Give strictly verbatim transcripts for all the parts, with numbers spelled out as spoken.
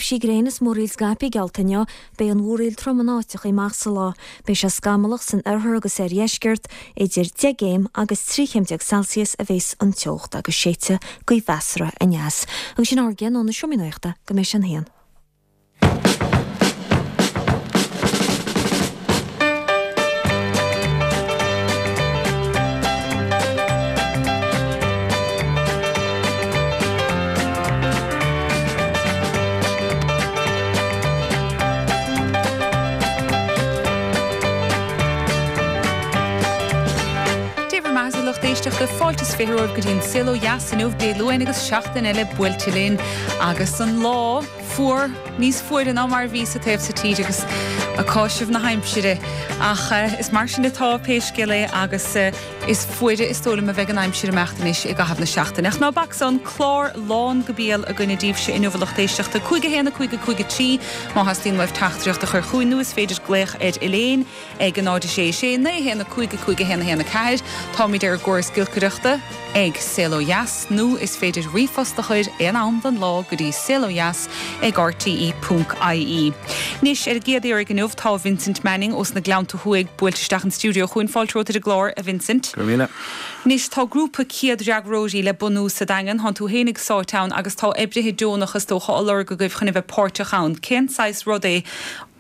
tréimhsí gréine is múraíl scaipthe geallta inniu, beidh an mhúraíl trom in áiteacha amach sa lá. Beidh sé scamallach san oirthear agus oirdheisceart, idir deich gcéim agus trí chéim déag Celsius a bheas an teocht agus séidfidh gaoth mheasartha aneas. Agus sin ár gceann ó na seomraí nuachta go mbeidh sé an haon. Dia bhur mbeatha a lucht éisteachta fáilte is fiche romhaibh go dtí an Saol Ó Dheas inniu Dé Luain agus seachtain eile buailte linn agus an lá fuar níos fuaire ná mar a bhí sa taobh sa tír agus ag cáiseamh na haimsire ach eh, is mar sin atá pé scéal é agus eh, is fuaire is dóigh liom a bheidh an aimsir imeacht anois i gcaitheamh na seachtaine. Ach ná bac san clár lán go béal againne daoibhse inniu a lucht éisteachta cúig a haon a cúig a cúig a trí má theastaíonn uaibh teachtaireacht a chur chugainn nó is féidir glaoch ar Elaine ag a náid a sé sé naoi haon a cúig a cúig a haon a haon a ceathair. Táimid ar an gcóras giolcaireachta ag Saol Ó Dheas nó is féidir ríomhphost a chur aon am den lá go dtí saolodheas ag rte ponc ie. Anois ar an gcéad iarraidh inniu tá Vincent Manning ós na Gleannta Thuaidh buailte isteach an stiúideo chugainn fáilte romhat ar an gclár a Vincent. Go raibh míle. Anois tá grúpa céad-fhreagróirí le bunú sa Daingean, thánn tú fhéinig sáite ann agus tá oibrithe deonacha is dócha á lorg agaibh chun a bheith páirteach ann. Cén saghas rud é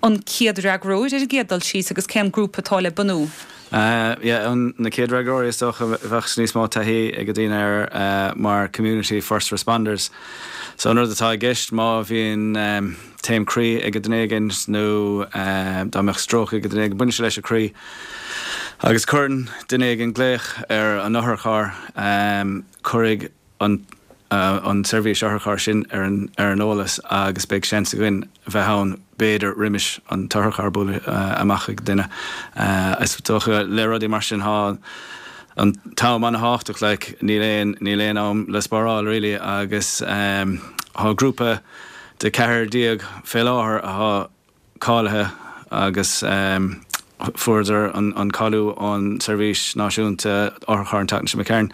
an céad-fhreagróir ar an gcéad dul síos agus cén grúpa atá le bunú? Uh, yeah, an, na céad-fhreagróirí is dócha bheadh níos mó taithí ag daoine air uh, mar community first responders. So an rud atá i gceist má bhíonn um, taom croí ag duine éigin nó uh, dá mbeadh stroke ag duine éigin baineann sé leis an croí. Agus cuireann duine éigin glaoch ar an otharcharr um, cuirfidh an uh, an seirbhís otharcharr sin ar an, ar an eolas agus beidh seans againn bheith ann b'fhéidir roimis an t-otharcharr bualadh uh, amach ag duine. Uh, is dócha le rudaí mar sin tá an t-am an-tábhachtach like, níl aon níl aon am le spáráil really agus um, tá grúpa de ceathair déag fé láthair atá cáilithe agus um, fuaireadar an, an cáiliú ón seirbhís náisiúnta otharcharr an tseachtain seo imigh.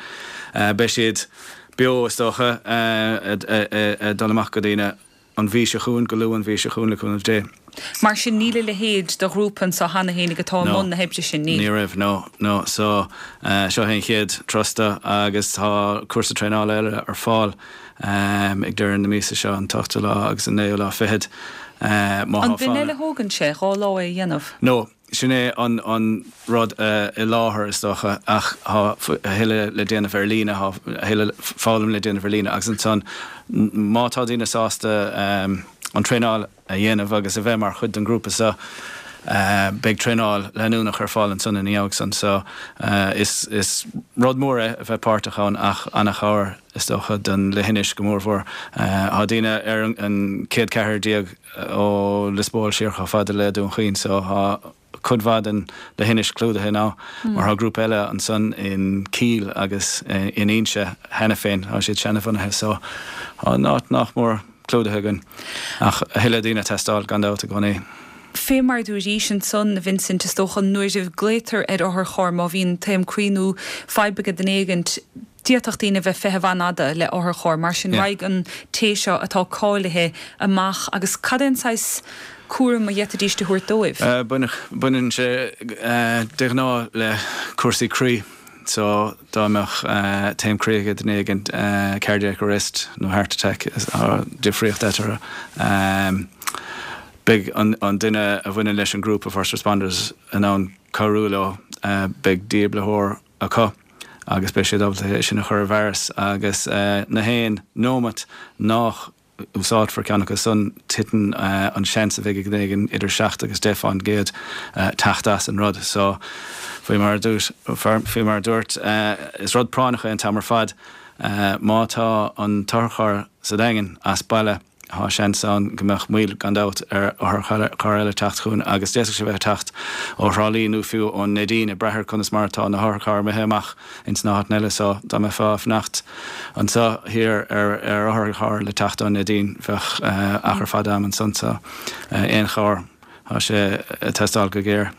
Uh, beidh siad beo is dócha uh, dul amach go daoine an mhí seo chugainn go luath an mhí seo chugainn le cúnamh Dé. Mar sin níl a leithéid de ghrúpa anseo cheana féinig atá i mbun na hoibre sin ní. Ní raibh no no so uh, seo an chéad trusta agus tá cúrsa traenála eile ar fáil um, ag deireadh na míosa seo an t-ochtú lá agus an naoú lá fichead. Uh, An duine eile thógann sé dhá lá é dhéanamh? No, sin é an, an rud uh, i láthair is dócha ach tá a thuilleadh le déanamh ar líne a thuilleadh foghlaim le déanamh ar líne agus ansan má tá daoine sásta um, an traenáil a dhéanamh agus a bheith mar chuid den grúpa seo uh, beidh traenáil leanúnach ar fáil ansan ina dhiaidh san so uh, is, is rud mór é a bheith páirteach ann ach an-chabhair is dócha don leithinis go mórmhór. Uh, tá daoine ar an, an céad ceathair déag ó Lios Póil siar chomh fada le Dún Chaoin so tá cuid mhaith den leithinis clúdaithe ná mar tá grúpa eile ansan in Cill agus in Inse cheana féin tá siad seanbhunaithe so tá an áit nach mór clúdaithe againn ach a thuilleadh daoine ag teastáil gan dabht i gcónaí. Fé mar dúirt ansan Vincent is dócha nuair a ghlaotar ar otharcharr má bhíonn taom croí nó fadhb ag duine éigin d'fhéadfadh daoine bheith feitheamh an-fhada le otharcharr mar sin yeah. raghaidh an té seo atá cáilithe amach agus cad é an saghas cúram a d'fhéadfaidís a thabhairt dóibh? Uh, Baineann sé uh, de ghnáth le cúrsaí croí. So dá mbeadh uh, taom croí ag duine éigin uh, cardiac arrest nó heart attack uh, difríocht eatarthu. Um, beidh an, an duine a bhaineann leis an grúpa first responders in ann cabhrú leo uh, beidh dífhibrileoir acu agus beidh siad ábalta é sin a chur i bhfearas agus uh, na haon nóiméad nach úsáidfear ceann acu san titeann uh, an seans a bheidh ag duine éigin idir seacht agus deich faoin gcéad uh, teacht as an rud. So faoi mar dúirt faoi mar dúirt uh, is rud práinneach é an t-am ar fad uh, má tá an t-otharcharr sa Daingean as baile tá seans ann go mbeadh moill gan dabht ar otharcharr eile teacht chugainn agus d'fhéadfadh sé bheith teacht ó Thrá Lí nó fiú ón Neidín ag brath ar conas mar atá na hotharchairr imithe amach ins na háiteanna eile so dá mbeifeá ag fanacht anseo thiar ar ar otharcharr le teacht ón Neidín bheadh uh, achar fada am ansan so uh, aon chabhair tá sé ag teastáil go géar.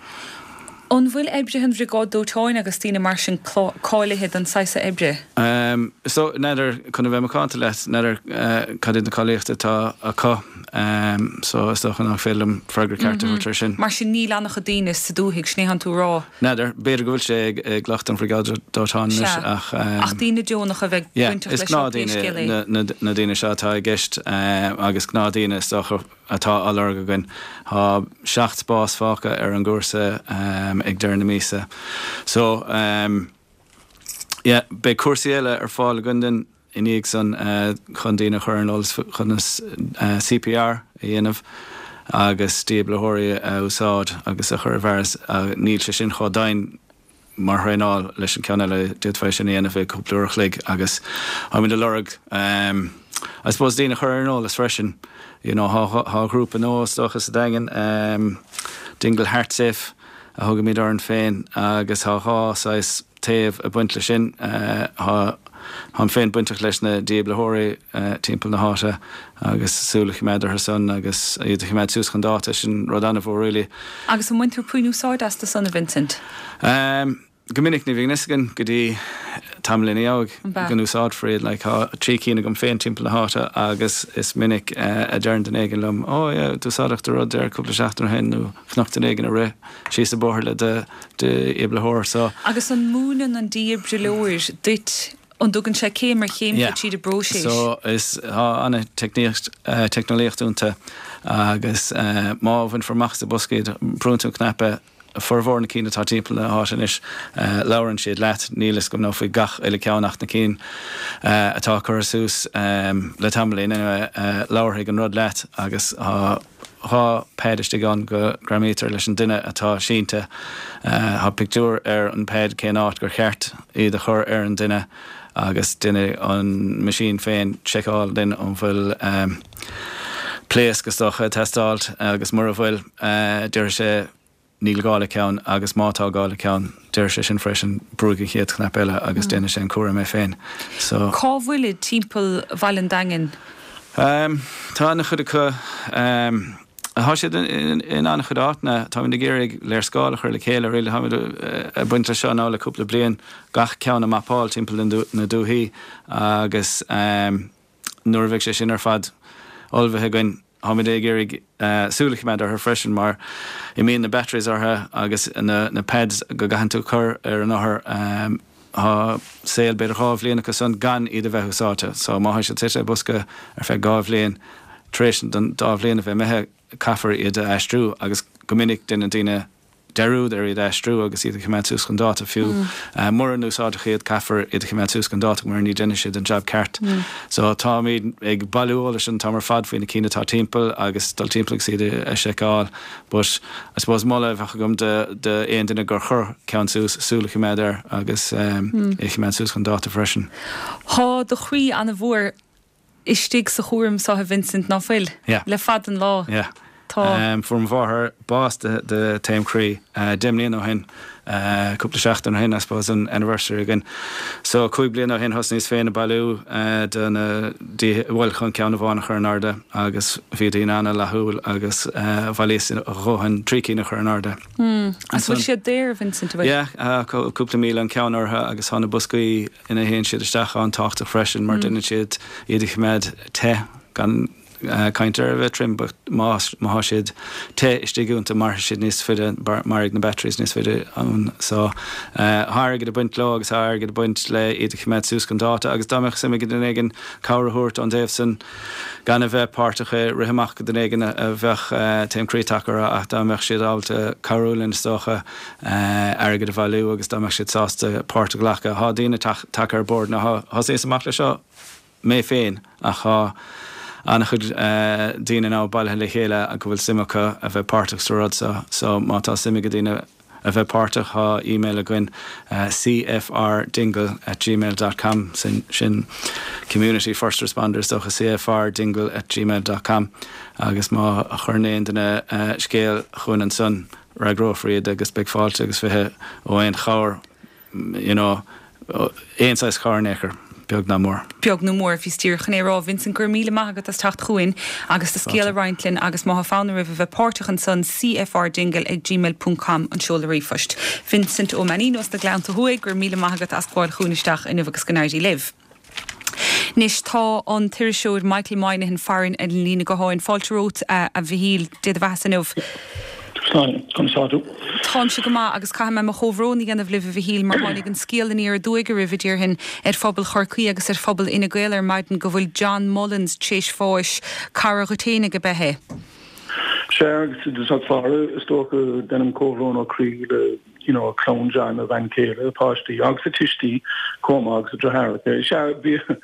An bhfuil oibrithe an bhriogáid dóiteáin agus daoine mar sin cáilithe don saghas oibre? Um, so n'fheadar chun a bheith macánta leat, n'fheadar uh, cad iad na cáilíochtaí atá acu um, so is dócha nach féidir liom freagra ceart a thabhairt ar sin. Mar sin níl an-chuid daoine sa dúthaigh sin é atá tú a rá. N'fheadar, b'fhéidir go bhfuil sé ag, ag lucht an bhriogáid dóiteáin anois Sea. ach um, Ach daoine deonacha a bheith Yeah, bainteach is leis seo pé gnáthdaoine scéal é. na, na, na daoine seo atá i gceist um, agus gnáthdaoine is dócha atá á lorg againn. Tá seacht spás fágtha ar an gcúrsa um, ag deireadh na míosa. So um, yeah, beidh cúrsaí eile ar fáil againn den i ndiaidh san uh, chun daoine a chur ar eolas chun uh, CPR a dhéanamh agus dífhibrileoirí a úsáid agus a chur i bhfearas uh, níl sé sin chomh dian mar thraenáil leis an ceann eile d'fhéadfá sin a dhéanamh i cúpla uair a chloig agus táimid ag lorg um, I suppose daoine a chur ar eolas freisin you know, tá tá grúpa nua is dócha sa Daingean um, Dingle Heartsafe a thugaimid orainn féin agus tá dhá saghas taobh ag baint leis sin uh, tá Táim féin bainteach leis na dífhibrileoirí uh, timpeall na háite agus súil a choimeád orthu san agus iad a choimeád suas chun dáta sin rud an-mhór really. Agus an mbaintear puinn úsáid astu san a Vincent. Um, go minic ní bhíonn a fhios againn go dtí tamall ina dhiaidh An b'ea? go n-úsáidfear iad like, tá trí cinn agam féin timpeall na háite agus is minic uh, a deireann duine éigin liom ó yeah, d'úsáideach do rud ar cúpla seachtain ó shin nó chonac duine éigin ag rith síos an bóthar le de dífhibrileoir so Agus an múineann an dífhibrileoir duit an dtugann sé céim ar chéim Yeah. tríd an bpróiseas. So is tá an-teicníocht uh, teicneolaíocht iontu agus uh, má bhainfear amach sa bosca iad brúnn tú cnaipe formhór na cinn atá timpeall na háite anois uh, labhrann siad leat níl a fhios agam nó faoi gach uile ceann ach na cinn uh, atá curtha suas um, le tamaillín anyway, uh, labharfaidh an rud leat agus tá dhá pad istigh ann go ngreamaítear leis an duine atá sínte uh, Tá pictiúr ar an pad cén áit gur cheart iad a chur ar an duine agus déanann an machine féin seiceáil duinn an bhfuil um, pléasc is dócha ag teastáil agus mura bhfuil uh, deir sé níl gá le ceann agus má tá gá le ceann deir sé sin freisin brúigh an chéad chnaipe eile agus déanfaidh sé an cúram é féin. So Cá bhfuil timpeall Bhaile an Daingin? Um, tá an-chuid acu um, Tá siad in, in an-chuid áiteanna tá ag iarraidh léarscáil a chur le chéile ri ag baint leis seo ná le cúpla bliain gach ceann a mapáil timpeall na dúthaí agus um, nuair a bheidh sé sin ar fad ullmhaithe againn táimid ag iarraidh uh, súil a choimeád orthu freisin mar imíonn na batteries orthu agus na, na pads go gcaitheann tú cur ar an othar um, Tá saol b'fhéidir dhá bhliain acu san gan iad a bheith úsáidte, so má tá siad suite i bosca ar feadh dhá bhliain tar éis don dá bhliain a bheith imithe caithfear iad a aistriú agus go minic déanann daoine dearúd ar iad aistriú agus iad a choimeád suas chun dáta fiú. Mm. Uh, Mura n-úsáidtear iad caithfear iad a choimeád suas chun dáta mar ní dhéanfaidh siad an job ceart. Mm. So táimid ag bailiú eolais an t-am ar fad faoi na cinn atá timpeall agus dul timpeall agus iad a seiceáil. But I suppose moladh a bheadh agam de de aon duine gur chuir ceann suas súil a choimeád air agus um, mm. é choimeád suas chun dáta freisin. Tá do chroí an-mhór istigh sa chúram seo a Vincent ná fuil Yeah. le fad an lá. Yeah. Tá Um, Fuair mo mháthair bás de, de taom croí uh, deich mbliana ó shin uh, cúpla seachtain ó shin I suppose an anniversary again. So cúig bliana ó shin thosnaíos féin ag bailiú uh, de na bhfuil chun ceann amháin a chur in airde agus bhí daoine an-fhlaithiúil agus uh, bhailíos a dhóthain trí cinn a chur in airde. Agus bhfuil siad daor Vincent bhfuil? Yeah, uh, cúpla míle an ceann orthu agus tá na boscaí ina théann siad isteach an-tábhachtach freisin mar mm. déanann siad iad a choimeád te gan uh, caint ar a bheith trim, but má má tá siad te istigh iontu mairfidh siad níos faide mairfidh na batteries níos faide ann so uh, tá airgead ag baint leo agus tá airgead ag baint le iad a choimeád suas chun dáta agus dá mbeadh suim ag duine éigin cabhair a thabhairt ón dtaobh san gan a bheith páirteach i rith amach go duine éigin a a bheadh uh, taom croí tagtha ach dá mbeadh siad ábalta cabhrú linn is dócha uh, airgead a bhailiú agus dá mbeadh siad sásta páirt a ghlacadh tá daoine tagtha ar bord na thosaíos amach le seo mé féin ach tá an-chuid uh, daoine ná bailithe le chéile a go bhfuil suim acu a bheith páirteach sa rud so, so má tá suim ag daoine a bheith páirteach tá e-mail againn uh, cfrdingle at gmail dot com sin, sin Community First Responders dócha cfrdingle at gmail dot com agus má chuireann aon duine uh, scéal chugainn ansan freagrófar iad agus beidh fáilte agus fiche ó aon chabhair you know, aon saghas cabhair. Beag ná mór. Beag nó mór, bhíos díreach chun é a rá. Vincent, go raibh míle maith agat as teacht chugainn agus do scéal a roinnt linn agus má tá fonn oraibh a bheith páirteach ansan, cfrdingle ag gmail ponc com an seoladh ríomhphoist. Vincent Ó Mainnín os na Gleannta Thuaidh, go raibh míle maith agat as gabháil chugainn isteach inniu agus go n-éirí libh. Anois tá an t-iriseoir Michael Moynihan farainn ar an líne gutháin. Fáilte romhat, a Mhichíl, Dé do bheatha inniu. Slán, conas tá tú? Táimse go maith agus caithfidh mé mo chomhbhrón a dhéanamh libh a Mhichíl mar tháinig an scéal aniar aduaidh oraibh a déarfainn ar phobal Chorcaí agus ar phobal Fhine Gael ar maidin go bhfuil John Mullins tréis bháis, cara dhuit fhéinig ab ea é? Sea agus i dtosach báire is dócha déanaim comhbhrón ó chroí le you know clann John, a bhean chéile, a pháistí agus a tuistí chomh maith agus a deartháireacha. Sea bhí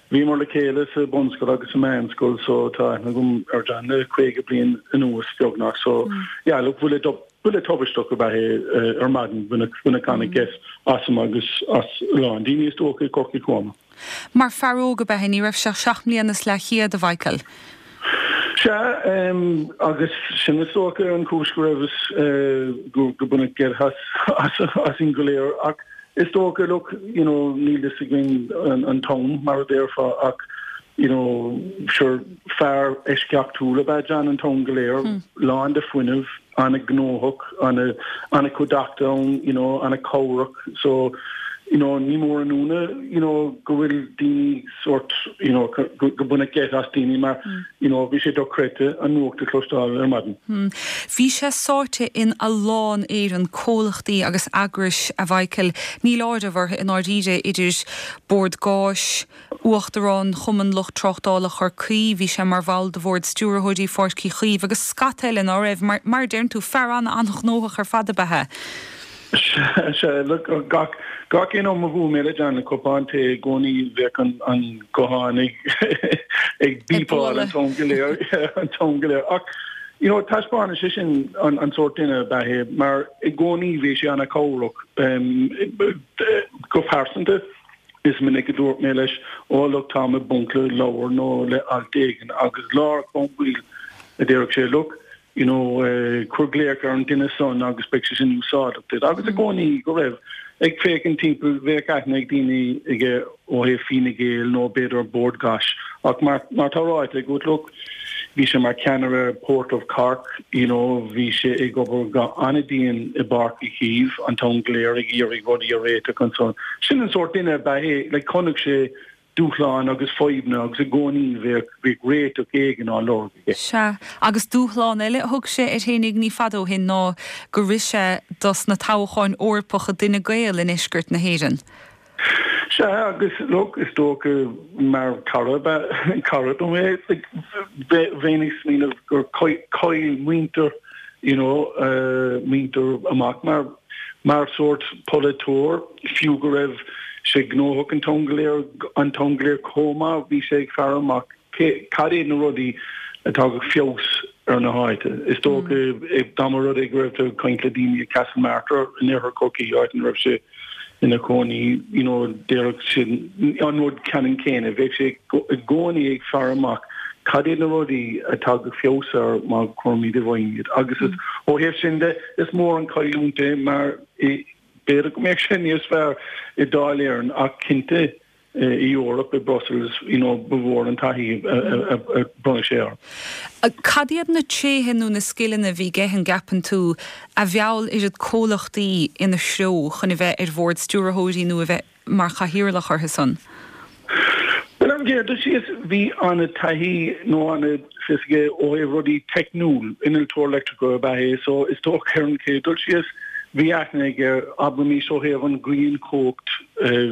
Bhíomar le chéile sa bunscoil agus sa meánscoil so tá aithne agam ar John le caoga bliain anuas beagnach so yeah look buille buille tubaisteach ab ea é ar maidin baineadh baineadh an-gheit asam agus as a lán daoine is dócha i gCorcaigh chomh maith. Mar fear óg ab ea é, ní raibh sé ach seacht mbliana is leathchéad, a Mhichael. Sea, agus sin is dócha an chúis go raibh go go baineadh geit as asainn go léir ach Is dócha, look, you know, níl fhios againn an t-am, mar a déarfá, ach, you know, sure, fear eisceachtúil ab ea John an t-am go léir, lán de fuinneamh, an-ghnóthach, an-chuideachta ann, you know, an-chabhrach, so, you know, ní mór an ionadh, you know, go bhfuil daoine sórt, you know, go baineadh geit as daoine mar, you know, bhí sé dochreidte an nuacht a chloisteáil ar maidin. Bhí sé sáite in a lán Éireann, comhlachtaí agus eagrais, a Mhichael. Níl áireamh orthu i ndáiríre idir Bord Gáis, Uachtarán Chumann Lucht Tráchtála Chorcaí, bhí sé mar bhall de Bhord Stiúrthóirí Pháirc Uí Chaoimh agus scata eile ná raibh, mar, mar a deireann tú, fear an-an-ghnóthach ar fad ab ea é. Sea, look, gach, gach aon am a bhuail mé le John le cupán tae i gcónaí bheadh an, an guthán ag, ag Ag beepáil an bualadh. t-am go léir, an t-am go léir. Ach, you know, taispeánann sé sin an, an sórt duine ab ea é, mar i gcónaí bhí sé an-chabhrach, um, go pearsanta. Is minic a dúirt mé leis, oh look, táim i bponc le leabhar nó le alt éigin agus láithreach bonn baill a déarfadh sé, look, you know, cuir glaoch ar an duine san agus beidh sé sin úsáideach duit. Agus i gcónaí go raibh, ag féachaint timpeall, bheadh aithne ag daoine aige ó thaobh Fine Gael nó b'fhéidir Bord Gáis ach mar, mar tá ráite agat, look, bhí sé mar cheannaire Port of Cork, you know, bhí sé ag obair go an-dian i bPáirc Uí Chaoimh an t-am go léir ag iarraidh rudaí a réiteach ansan. Sin an sórt duine ab ea é, like, chonaic sé dúshláin agus fadhbanna agus i gcónaí bheadh, bheadh réiteach éigin á lorg aige. Sea, agus dúshlán eile a thug sé air fhéinig ní fada ó shin ná gur rith sé dos na toghcháin Eorpacha d'Fhine Gael i ndeisceart na hÉireann. Sea, agus look, is dócha mar cara ab ea, cara dom é, like, bheinn ag smaoineamh gur chaill muintir, you know, muintir amach mar, mar sórt polaiteoir, fiú go raibh sé gnóthach an t-am go léir, an t-am go léir chomh maith, bhí sé ag faire amach cé, cad iad na rudaí a thagadh feabhas ar na háite. Is dócha, dá mba rud é go raibh tú ag caint le daoine i Castlemartyr in oirthear Chorcaí, áit ina raibh sé ina chónaí, you know, déarfadh siad an rud ceannann céanna, bheadh sé i gcónaí ag faire amach cad iad na rudaí a thagadh feabhas air má chuirimid i bhfeidhm iad. Agus is, ó thaobh sin de, is mór an chailliúint é mar b'fhéidir go mbeadh sé níos fearr i Dáil Éireann ach cinnte i Eoraip, i Brussels, you know, ba mhór an taithí a bhronnadh sé air. Cad iad na tréithe nó na scileanna a bhí aige, an gceapann tú, a mheall oiread comhlachtaí ina threo chun a bheith ar bhord stiúrthóirí nó a bheith mar chathaoirleach orthu san? Bhuel, ar an gcéad dul síos, bhí an-taithí nó an-fhios aige ó thaobh rudaí teicniúil, innealtóir leictreachais ab ea é, so is dócha ar an chéad dul síos, bhí aithne aige, abraimis ó thaobh an ghrianchumhacht,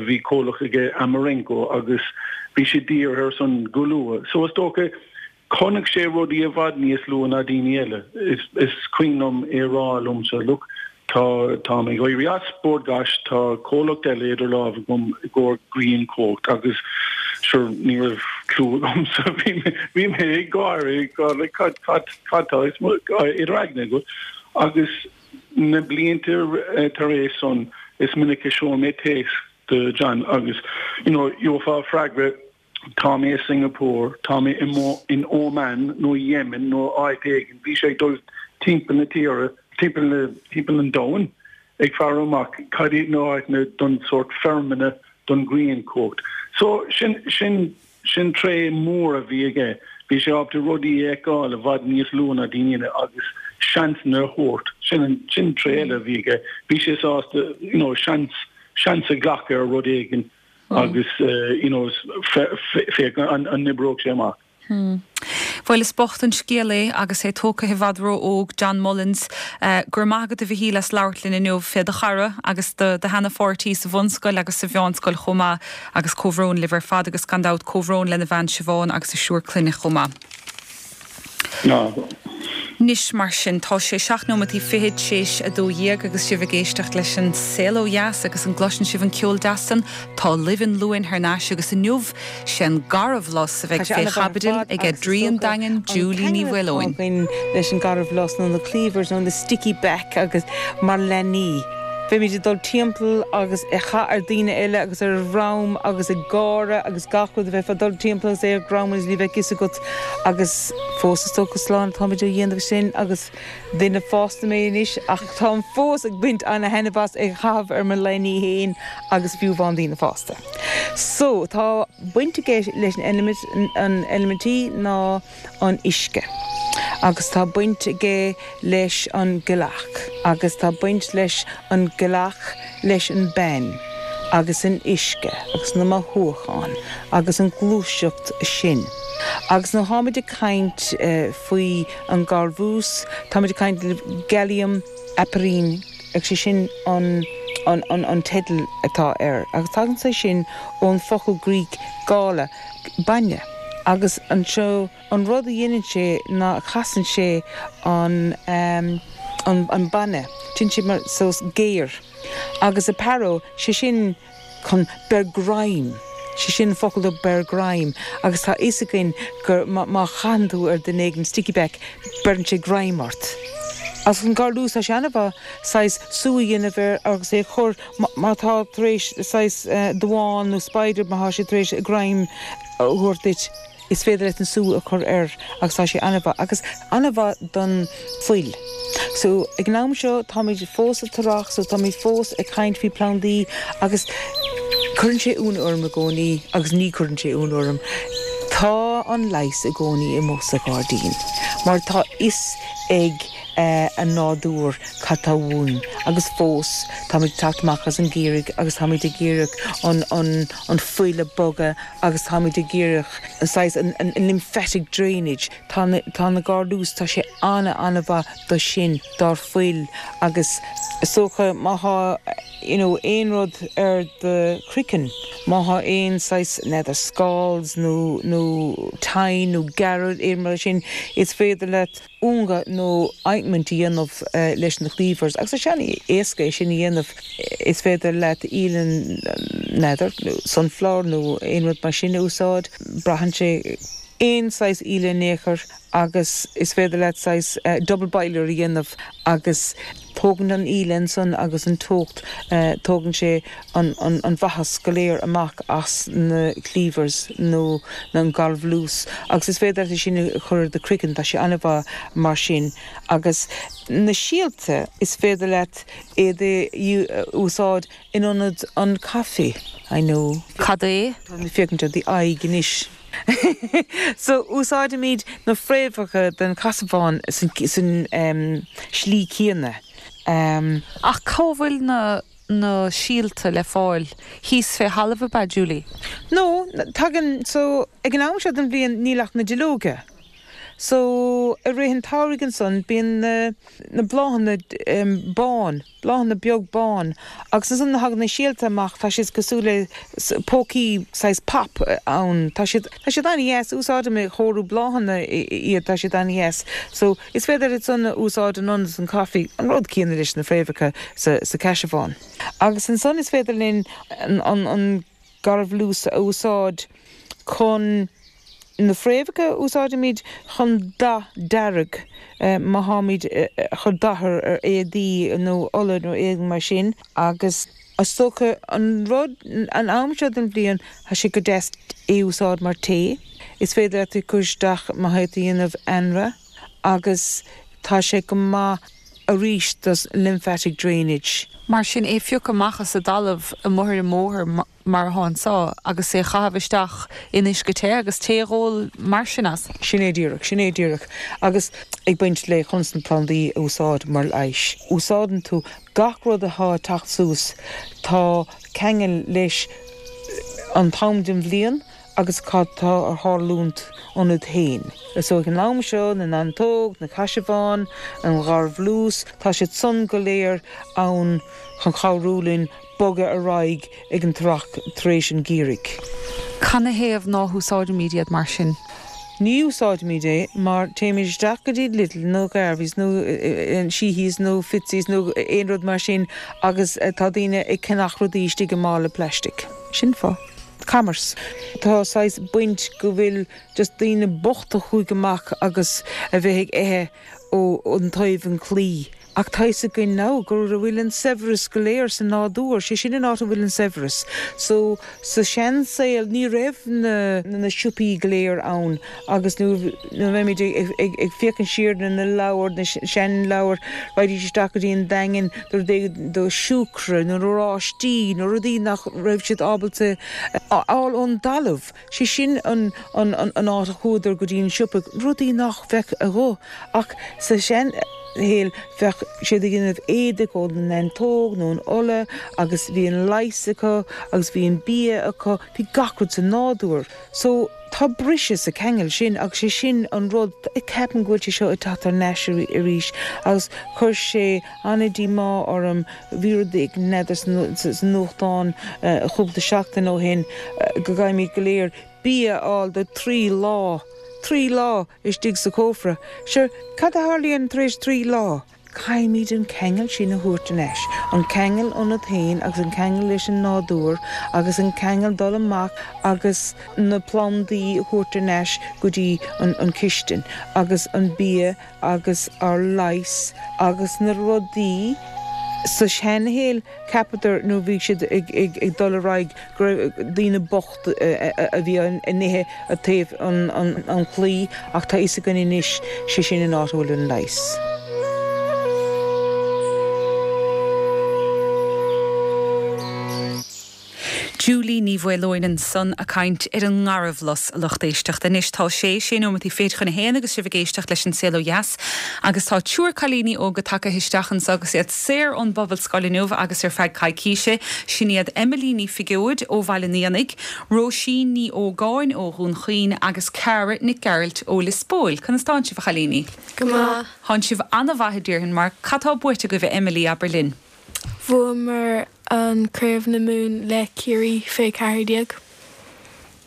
bhí comhlacht aige Amarenco agus bhí sé dírithe ar san go luath. So is dócha, chonaic sé rudaí i bhfad níos luath ná daoine eile. Is is cuimhin liom é a rá liomsa, look, tá, táim ag éirí as Bord Gáis, tá comhlacht eile idir lámha agam i gcomhair grianchumhacht agus sure ní raibh clue agamsa, bhí mé, bhí mé ag gáire, ag rá like cad, cad, cad tá idir aigne agat? Agus na blianta tar éis san is minic a sheol mé téacs do John agus you know gheofá freagra, Tá mé i Singapore, tá mé in Oman nó Yemen nó áit éigin. Bhí sé ag dul timpeall na tíre, timpeall timpeall an domhain ag faire amach cad iad na háiteanna don sórt feirmeanna don ghrianchumhacht. So sin sin sin tréith mór a bhí aige. Bhí sé ábalta rudaí a fheiceáil i bhfad níos luaithe ná daoine eile agus seansanna a thabhairt. Sin an sin tréith eile a bhí aige. Bhí sé sásta you know, seans seans a ghlacadh ar rud éigin agus uh, you know, féach an an n-oibreodh sé amach. Hmm. Bhuel is bocht an scéal é agus é tógtha i bhfad ró-óg John Mullins uh, gur maigad a bhí leis labhairt linn inniu fé do chara agus do do sheanpháirtí sa bhunscoil agus sa mheánscoil chomh maith agus comhbhrón libh ar fad agus gan dabht comhbhrón lena bhean Siobhán agus a triúr clainne chomh maith. No. Anois mar sin tá sé seacht nóiméad fiche théis a dó dhéag agus sibh ag éisteacht leis an Saol Ó Dheas agus an gcloiseann sibh an ceol deas san tá Luibh an Luain thar n-ais agus inniu sé an garbhlus a bheidh fé chaibidil ag Adrian Daingean Julie Ní Mhaoileoin. leis an garbhlus nó na cleavers nó na sticky back agus mar leanaí. Bheimid ag dul timpeall agus ag caitheamh ar daoine eile agus ar dhroim agus ag gáire agus gach rud a bheith dul timpeall agus é ar dhroim agus ní bheadh fhios agat agus fós is dócha slán táimid á dhéanamh sin agus duine fásta mé anois ach táim fós ag baint an-taitneamh as ag caitheamh ar mo leanaí féin agus fiú amháin daoine fásta. So tá baint aige leis an eilimint an eilimintí ná an uisce. Agus tá baint aige leis an gcailleach, agus tá baint leis an gcailleach leis an bean, agus an uisce agus na mothúcháin agus an gluaiseacht sin. Agus nuair atáimid ag caint uh, faoi an garbhlus, táimid ag caint Galium aparine ag sé sin an an, an, an teideal atá air. Agus tagann sé sin ón focal Greek gala bainne. Agus an seo an rud a dhéanann sé ná casann sé an, um, an, an bainne, Téann sé mar sós géar. Agus aparo sé sin chun beir greim. sé sin focal do beir greim, agus tá fhios againn gur má chaitheann tú ar duine éigin sticky back beireann sé greim ort. Agus an garbhlus tá sé an-mhaith saghas sú a dhéanamh air agus é chur má tá tar éis saghas uh, damhán nó spider má tá sé tar éis greim a thabhairt duit. Is féidir leat an sú a chur air agus tá sé an-mhaith agus an-mhaith don fuil. So ag an am seo táimid fós sa t-earrach, so táimid fós ag caint faoi plandaí agus cuireann sé ionadh orm i gcónaí agus ní chuireann sé ionadh orm. Tá an leigheas i gcónaí amuigh sa ghairdín, mar tá fhios ag uh, an nádúr cad tá uainn agus fós táimid teacht amach as an ngeimhreadh agus táimid ag iarraidh an, an, an fuil a bhogadh agus táimid ag iarraidh an, an, an, an lymphatic drainage tá na, tá na garbhlus tá sé an- an-mhaith do sin dár fuil agus socha má tá you know, aon rud ar do chraiceann má tá aon saghas n'fheadar scalds nó nó tine nó gearradh aon mar sin is féidir leat unga nó ointment a dhéanamh uh, leis na cleavers agus sé an-éasca é sin a dhéanamh is féidir leat olann n'fheadar sunflower nó aon rud mar sin a úsáid braitheann sé aon saghas ola in aon chor agus is féidir leat saghas uh, double boiler a dhéanamh agus tógann an ola san agus an teocht uh, tógann sé an, an, an mhaitheas go léir amach as na cleavers nó na an garbhlus agus is féidir sin a chur ar do chraiceann tá sé an-mhaith mar sin agus na síolta is féidir leat iad a úsáid in ionad an caife I know. Cad é? Tá mé féachaint ar d'aghaidh anois. so úsáidimid na fréamhacha den caisearbhán san, san um, slí céanna. Um, Ach cá bhfuil na na síolta le fáil thíos fé thalamh ab ea Julie. No, tagann so ag an am seo den bhliain níl ach na duilleoga. So i rith an tsamhraidh ansan bíonn na, na bláthanna um, bán, bláthanna beag bán, agus ansan na thagann na síolta amach tá siad cosúil le pócaí saghas pop ann Tá siad tá siad an-deas úsáidim i chóiriú bláthanna iad tá siad an-deas. So is féidir iad san úsáid in ionad an caife an rud céanna leis na fréamhacha sa, sa caisearbhán. Agus ansan is féidir linn an, an, an garbhlus a úsáid chun na fréamhacha úsáidimid chun dath dearg uh, má tháimid uh, chun dath ar éadaí nó ola nó éadan mar sin agus is dócha an rud an am seo den bhliain tá sé go deas é úsáid mar tae. Is féidir leat cur isteach má tá tú ag déanamh anraith agus tá sé go maith arís does lymphatic drainage. Mar sin é phiocadh amach as an dtalamh amuigh ar an mbóthar mar atá anso agus é chaitheamh isteach in uisce te agus tae a dh'ól mar sin as. Sin é díreach, sin é díreach. Agus ag baint le conas na plandaí a úsáid mar leigheas. Úsáideann tú gach rud atá ag teacht suas, tá ceangal leis an t-am den bhliain agus cad tá ar tharlúint ionat féin. So ag an am seo na neantóg, na caisearbháin, an gharbhlús, tá siad san go léir ann chun cabhrú linn bogadh ar aghaidh ag an earrach tar éis an gheimhridh. Canathaobh ná húsáidimid iad mar sin? Ní úsáidimid é mar téimid isteach go dtí Lidl nó Garveys nó Sheehy's nó Fitzy's nó aon rud mar sin agus tá daoine ag ceannach rudaí istigh i mála plastic. Sin fáth. Commerce. Tá saghas baint go bhfuil just daoine bochta chuaigh amach agus a bheith ag ithe ó an taobh an claí. Ach tá fhios againn now go bhfuil an saibhreas go léir sa nádúr, sé sin an áit a bhfuil an saibhreas. So sa seansaol ní raibh na na siopaí go léir ann agus nuair a bheimid ag ag féachaint siar na na leabhair, na seanleabhair, raghaidís isteach go dtí an Daingean do do siúcra nó oráistí nó rudaí nach raibh siad ábalta a fháil ón dtalamh. Sé sin an an an áit a chuadar go dtí an siopa, rudaí nach bheadh acu ach sa seanshaol bheadh siad ag déanamh éadaigh ón neantóg nó an olla agus bhí an leigheas acu agus bhí an bia acu, bhí gach rud sa nádúr. So tá briseadh sa ceangal sin agus sé sin an rud ceapaim go bhfuil sé seo ag teacht thar n-ais arís agus chuir sé an-díomá orm bhí rud éigin n'fheadar sa nuachtán cúpla seachtain ó shin go gcaithfimid go léir bia a fháil do trí lá, trí lá istigh sa chófra. Sure, cad a tharlaíonn tar éis trí lá? Caithfimid an ceangal sin a thabhairt anois, an ceangal ionat féin agus an ceangal leis an nádúr agus an ceangal dul amach agus na plandaí a thabhairt anois go dtí an, an chistin agus an bia agus ár leigheas agus na rudaí sa seanshaol cheapadar nó bhí siad ag, ag, ag dul ar aghaidh go raibh daoine bocht a bhí in ithe a taobh an, an, an chlaí ach tá fhios againn anois sé sin an áit a bhfuil an leigheas. Julie Ní Mhaoileoin ansan ag caint ar an ngarbhlus a lucht éisteachta. Anois tá sé sé nóiméad fichead chun a haon agus sibh ag éisteacht leis an Saol Ó Dheas agus tá triúr cailíní óga tagtha isteach anseo agus iad saor ón bPobalscoil inniu agus ar feadh coicíse sin iad Emily Ní Fhigeoid ó Bhaile an Éanaigh, Róisín Ní Ógáin ó Dhún Chaoin agus Cara Nic Gearailt ó Lios Póil. Conas tánn sibh a chailíní? Go maith. Tánn sibh an-mhaith a déarfainn mar cad tá buaite agaibh Emily abair linn. Bhuamar an Craobh na Mumhan le Ciarraí fé ceathair déag.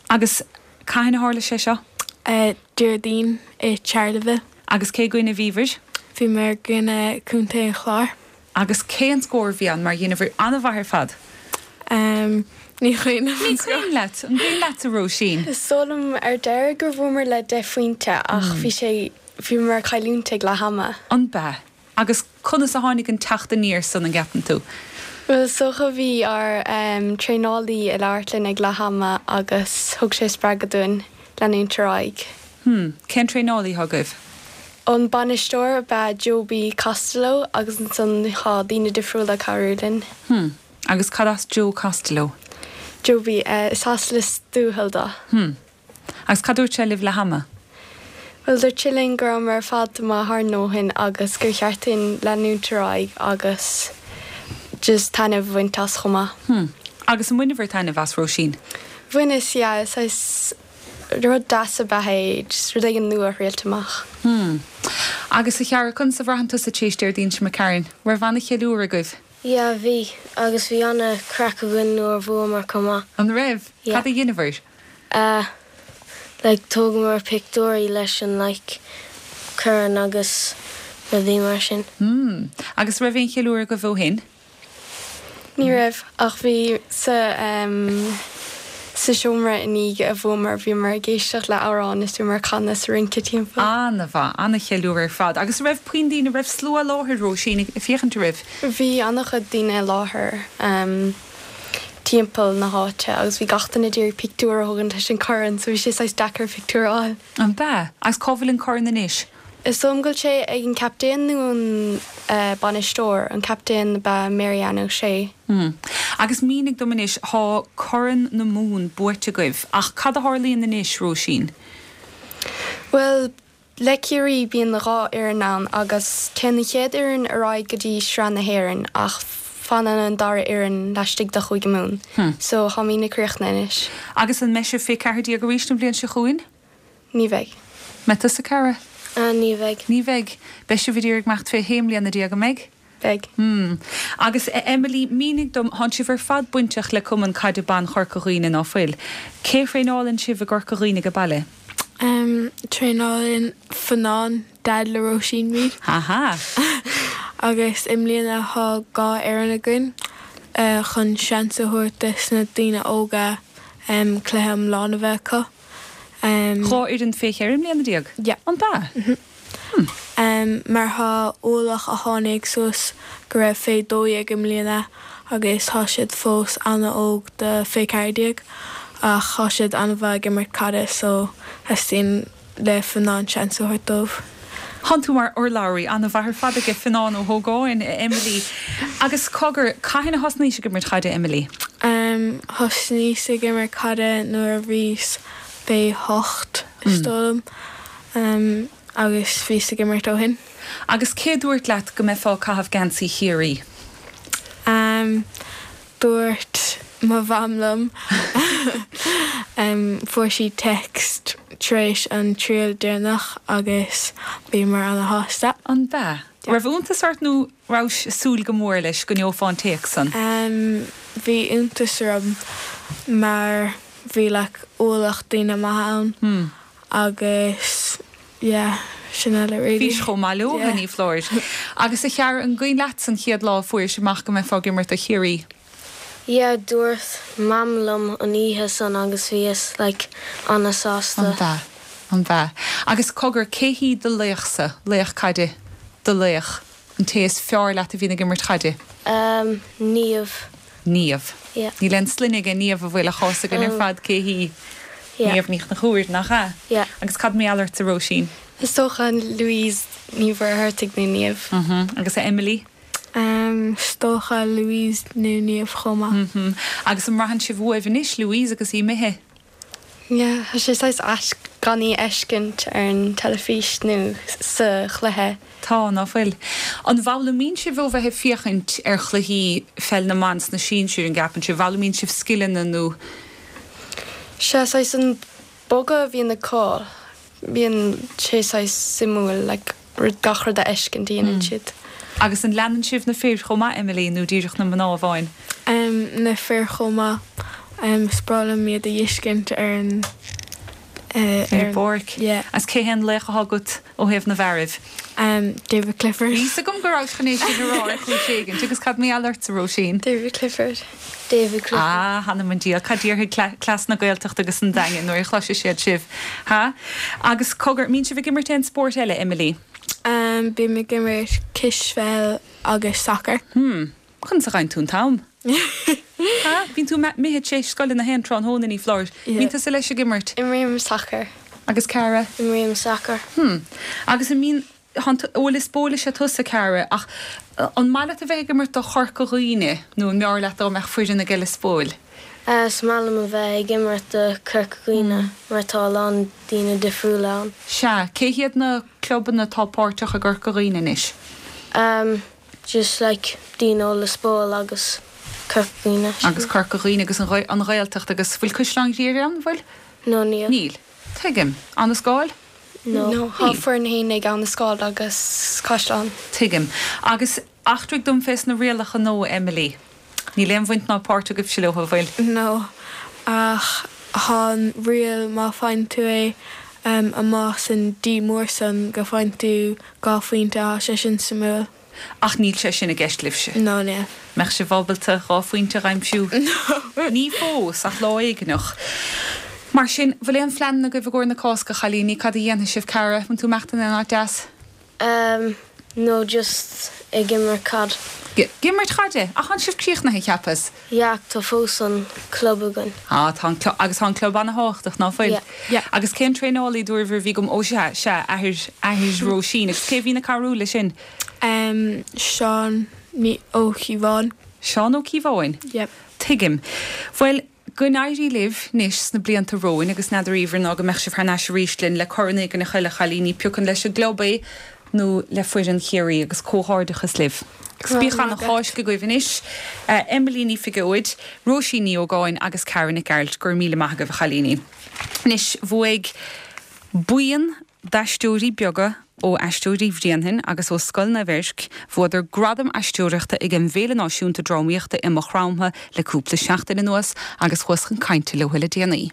Agus cathain a tharla sé seo? Déardaoin i Charleville. Agus cé gcoinne a bhíobhair? Bhíomar i gcoinne Contae an Chláir. Agus cén scór a bhí ann mar dheineabhair an-mhaith ar fad? Um, ní cuimhin Ní cuimhin leat, an cuimhin leat a Róisín? Is dóigh liom ar deireadh gur bhuamar le deich phointe ach bhí sé bhíomar ag cailliúint ag leath ama. An b'ea? Agus conas a tháinig an teacht aniar san an gceapann tú? Well is dócha bhí ár um, traenálaí ag labhairt linn ag leath ama agus thug sé spreagadh dúinn leanúint ar aghaidh. Hmm, cén traenálaí atá agaibh? An bainisteoir ab ea Joby Costello agus ansan tá daoine difriúla ag cabhrú linn. Hmm, agus cad as Joe Costello? Joby, uh, is as Lios Tuathail dó. Hmm. Agus cad dúirt sé libh leath ama? Well dúirt sé linn go rabhamar ar fad maith thar ndóthain agus gur cheart dúinn leanúint ar aghaidh agus just taitneamh a bhaint as chomh maith. Hmm. Agus an mbaineabhair taitneamh as Róisín? Bhaineas, yeah, saghas rud deas ab ea é, just rud éigin nua a thriailt amach. Hmm. Agus a Chiara, conas a bhraitheann tusa tar éis Déardaoin seo imigh tharainn? Raibh an-cheiliúradh agaibh? Yeah, bhí, agus bhí an-chraic againn nuair a bhuamar chomh maith. An raibh? Yeah. Cad a dheineabhair? Uh, like thógamar pictiúirí leis an like corn agus rudaí mar sin. Hmm. Agus raibh aon cheiliúradh agaibh ó shin? Ní raibh ach bhí sa um, sa seomra i ndiaidh a bhuamar bhíomar ag éisteacht le amhrán is bhíomar ag canadh is ag rince timpeall. An-mhaith, an-cheiliúradh ar fad. Agus raibh puinn daoine raibh slua i láthair Róisín ag féachaint oraibh? Bhí an-chuid daoine i láthair um, timpeall na háite agus bhí gach duine ag iarraidh pictiúr a thógaint leis an corn, so bhí sé saghas deacair pictiúr a fháil. An b'ea? Agus cá bhfuil an corn anois? Is dóigh liom go bhfuil sé ag an captaen nó an bainisteoir, an captaen ab ea Mary Ann O'Shea. Hmm. Agus mínigh dom anois, thá Corn na Mumhan buaite agaibh, ach cad a tharlaíonn anois, Róisín? Bhuel, le Ciarraí bíonn dhá fhoireann ann agus téann an chéad fhoireann ar aghaidh go dtí Sraith na hÉireann ach fanann an dara fhoireann laistigh de Chúige Mumhan. Hmm. So táimidne críochnaithe anois. Agus an mbeidh sibh fé ceathair déag arís an bhliain seo chugainn? Ní bheidh. Mbeidh tusa, Cara? Uh, ní bheidh. Ní bheidh. Beidh sibh ag iarraidh imeacht fé shé mbliana déag, an mbeidh? Beidh. Hmm. Agus eh, Emily, mínigh dom, thánn sibh ar fad bainteach le Cumann Caide Ban Chorca Dhuibhne ná fuil. Cé thraenálann sibh i gCorca Dhuibhne ag baile? Um, traenálann Fionnán dad le Róisín muid. Aha. Agus i mbliana thá dhá fhoireann againn uh, chun seans a thabhairt dos na daoine óga um, cluiche iomlán a bheith acu. Um, Dhá fhoireann fé cheithre mbliana déag? Yeah. An b'ea? Mm -hmm. um, mar thá ualach a tháinig suas go raibh fé dó dhéag i mbliana agus tá siad fós an-óg do fé ceathair déag ach thá siad an-mhaith ag imirt caide so theastaíonn le Fionnán seans a thabhairt dóibh. Thánn tú mar urlabhraí an-mhaith ar fad aige Fionnán Ó hÓgáin, Emily. Agus cogar, cathain a thosnaís ag imirt caide, Emily? Um, thosnaíos ag imirt caide nuair a bhíos fé hocht is dóigh liom um, agus bhíos ag imirt ó shin. Agus cé dúirt leat go mbeifeá ag caitheamh geansaí Chiarraí? Um, dúirt mo mham liom um, fuair sí text tar éis an triail deireanach agus bhíomar an-shásta. An b'ea? Raibh iontas ort nó rabhais ag súil go mór leis go ngeofá an téacs san? Um, bhí iontas orm mar bhí like ualach daoine maithe ann Hmm. agus yeah, sin eile really. Bhís chomh maith leo, Yeah. ní foláir. Agus a Chiara an gcuimhin leat an chéad lá a fuairis amach go mbeifeá ag imirt do Chiarraí. Yeah, dúirt mam liom an oíche san agus bhíos like an-sásta. An b'ea, an b'ea. Agus cogar cé hí do laochsa, laoch caide, do laoch, an té is fearr leat a bhíonn ag imirt caide? Um, Niamh. Niamh. Yeah. Níl aon sloinne aige Niamh a bhfuil a fhios againn ar Um, fad cé hí. Yeah. Niamh Ní Chonchúir nach ea? Yeah. Agus cad mar gheall ort a Róisín? Is dócha Louise Ní Mhuircheartaigh nó Niamh. Mm Agus a Emily? Um, is dócha Louise nó Niamh chomh maith. Mm -hmm. Agus an mbraitheann sibh uaibh anois Louise agus í imithe. Yeah, tá sé saghas ait gan í a fheiscint ar an teilifís nó sa chluiche. Tá ná fuil. An bhfoghlaimíonn sibh ó bheith ag féachaint ar chluichí pheil na mban sna sinsir an gceapann sibh bhfoghlaimíonn sibh scileanna nó Sé saghas an bogadh a bhíonn acu bíonn sé saghas suimiúil like, rud gach rud a fheiscint a dhéanann siad. Agus an leanann sibh na fir chomh maith Emily nó díreach na mná amháin. Um, na fir chomh maith um, is breá liom iad a fheiscint ar an uh, Ar an bpáirc. Yeah. As cé hé an laoch atá agat ó thaobh na bhfearaibh. Um, David Clifford. Bhí a fhios agam go raibh chun é sin a rá ar chúis éigin, agus cad mar gheall ort a Róisín. David Clifford. David Clifford. Ah, th'anam 'on diabhal, cad déarfaidh cleas na Gaeltachta agus an Daingin nuair a chloisfidh siad sibh. Ha? Agus cogar mbíonn sibh ag imirt aon spórt eile, Emily. Um, bím ag imirt cispheil agus soccer. Hmm. Conas a fhaigheann tú an t-am. Ha? Bíonn tú imithe tar éis scoile na haon tráthnóna ní foláir. Yeah. Bíonn tusa leis ag imirt Imrím soccer. agus Cara. Imrím soccer. Hmm. Agus an mbíonn ó Lios Póil is ea tusa Cara ach an maith leat a bheith ag imirt do Chorca Dhuibhne nó an mb'fhearr leat dá mbeadh foireann ag Lios Póil. Uh, is maith liom a bheith ag imirt do Chorca Dhuibhne mar tá a lán daoine difriúla ann. Sea, cé hiad na clubanna atá páirteach i gCorca Dhuibhne anois? Um, just like daoine ó Lios Póil agus Corca Dhuibhne. Agus Corca Dhuibhne agus an Ghael- an Ghaeltacht agus bhfuil Caisleán Ghriaire ann bhfuil? No níl. Níl. Tuigim. An Scáil? No. No, thá foireann féin ag Abha na Scáil agus Caisleán. Tuigim. Agus eachtraigh dom fés na rialacha nua Emily. Níl aon bhaint ná páirt agaibhse leo bhfuil. No, ach thá an riail má fhaigheann tú é um, amach san D mór san go bhfaigheann tú dhá phointe thá sé sin suimiúil. Ach níl sé sin i gceist libhse. No ní. Mbeadh sibh ábalta dhá phointe a aimsiú. Ní fós ach lá éigineach. Mar sin bhfuil aon phlean agaibh i gcomhair na Cásca chailíní cad a dhéanfaidh sibh Cara, an tú meachtan an áit deas? Um, No just ag imirt cad. Ag imirt caide, ach tá sibh críochnaithe cheapas? Yeah, tá fós an club againn. Ah tá agus tá an club an-tábhachtach nach bhfuil. Yeah. Agus cén traenálaí dúirbh bhí gom ó se se athair athair Róisín, agus cé bhíonn ag cabhrú le sin? Um, Seán ní Ó Cíobháin. Seán Ó Cíobháin? Yep. Tuigim. Bhuel, go n-éirí libh anois sna blianta romhainn agus n'fheadar Eimhear ná go mbeadh sibh thar n-ais arís linn le corn éigin a thuilleadh a chailíní, pé acu leis an gclub é nó le foireann Chiarraí agus comhghairdeachas libh. Agus bíodh ana Cháisc agaibh anois, Emily Ní Phigeoid, Róisín Ní Ógáin agus Cara Nic Gearailt, go raibh míle maith agaibh a chailíní. Anois bhuaigh buíon d'aisteoirí beaga ó Aisteoirí Bhréanainn agus ó Scoil Naomh Eirc, bhuadar gradam aisteoireachta ag an bhFéile Náisiúnta Drámaíochta i Maigh Chromtha le cúpla seachtain anuas agus chuas chun cainte leo le déanaí.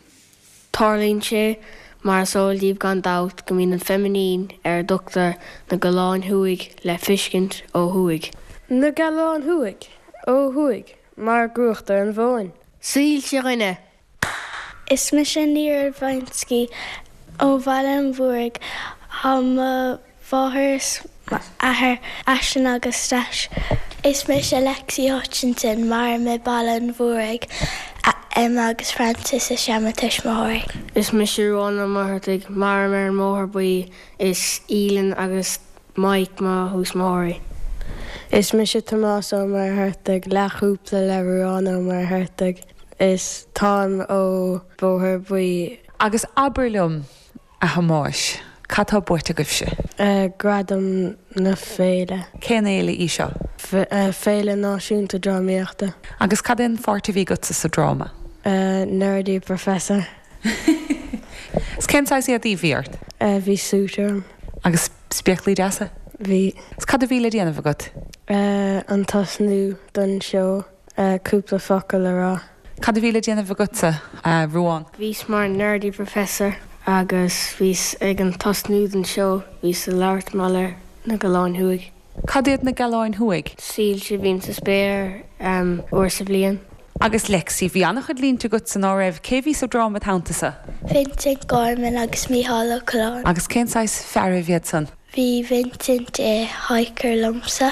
Tarlaíonn sé, mar is eol daoibh gan dabht, go mbíonn an feiminín ar a dtugtar na Galláin Thuaidh le feiscint ó thuaidh. Na Galláin Thuaidh, ó thuaidh, mar a gcruachtar an mhóin. Soilse dhuine. Is mise Nia Urbanski ó Bhaile an Mhúraigh. Tá mo mháthair is m'athair Aisling agus Stais. Is mise Lexi Hutchinson, mairim i Baile an Mhúraigh. Emma agus Francis is ea mo tuismitheoirí. Is mise Ruán Ó Muircheartaigh, mairim ar an mBóthar Buí. Is Aoileann agus Mike mo thuismitheoirí. Is mise Tomás Ó Muircheartaigh, leathchúpla le Ruán Ó Muircheartaigh. Is táim ó Bóthar Buí. Agus abair liom, a Thomáis, cad tá buaite agaibhse? Gradam na féile. Cén fhéile í seo? Féile Náisiúnta Drámaíochta. Agus cad é an pháirt a bhí agatsa sa dráma? Nerdy Professor. Is cén saghas éadaí a bhí ort? Bhí suit orm. Agus spéaclaí deasa? Bhí. Is cad a bhí le déanamh agat? An tosnú don seó, cúpla focal a rá. Cad a bhí le déanamh agatsa, a Ruán? Bhíos mar Nerdy Professor agus bhíos ag an tosnú den seó, bhíos ag labhairt mar gheall ar na Galláin Thuaidh. Cad iad na Galláin Thuaidh? Soilse a bhíonn sa spéir uair sa bhliain. Agus Lexi, bhí an-chuid línte agatsa ná raibh? Cé bhí sa dráma id' theannta-sa? Vincent Gorman agus Mícheál Ó Coileáin. Agus cén saghas fear a bhí iad san? Bhí Vincent i hiker liomsa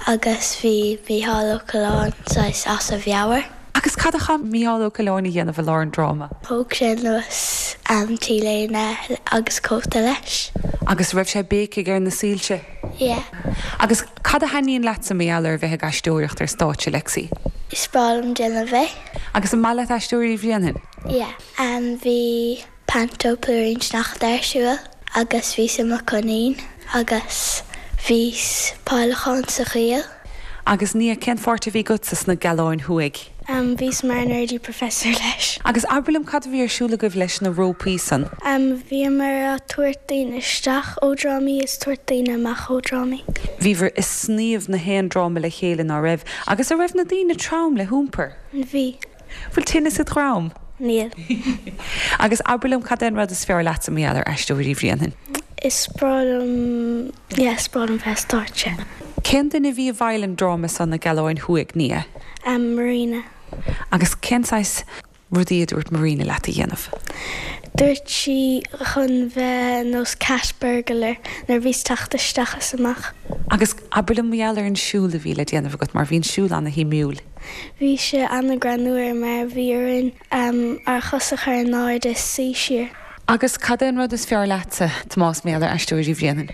agus bhí Mícheál Ó Coileáin saghas as a mheabhair. Agus cad a chaith Mícheál Ó Coileáin a dhéanamh i lár an dráma? Thóg sé anuas an t-léine agus cóta leis. Agus raibh sé ag béicigh ar na soilse? Yeah. Agus cad a thaitníonn leatsa mar gheall ar bheith ag aisteoireacht ar stáitse, Lexi? Is breá liom déanamh é. Agus an maith leat Aisteoirí Bhréanainn? Yeah. Um, bhí Panto Plúirín Sneachta ar siúl agus bhíos i mo coinín agus bhíos peidhleachán sa choill. Agus Nia, cén pháirt a bhí agatsa sna Galláin Thuaidh? Um, bhíos mar nerdy professor leis. Agus abair liom cad a bhí ar siúl agaibh leis na rópaí san? Um, bhíomar ag tabhairt daoine isteach ó drámaí is tabhairt daoine amach ó drámaí. Bhíobhair ag sníomh na haon dráma le chéile ná raibh, agus an raibh na daoine trom le hiompar? Bhí. Bhfuil tinneas id dhroim? Níl. Agus abair liom cad é an rud is fearr leatsa mar gheall ar Aisteoirí Bhréanainn? Is breá liom, yeah, is breá liom bheith ar stáitse. Cén duine a bhí i bhfeighil an dráma san na Galláin Thuaidh, Nia? Um, Marina. Agus cén saghas rudaí a dúirt Marina leat a dhéanamh? Dúirt sí chun bheith nós cat burglar nuair bhíos teacht isteach is amach. Agus abair liom mar gheall ar an siúl a bhí le déanamh agat mar bhí an siúl ana-shuimiúil. Bhí sé an-ghreannmhar mar bhí orainn um, ár chosa a chur in airde is suí siar. Agus cad é an rud is fearr leatsa, Tomás mar gheall ar Aisteoirí Bhréanainn?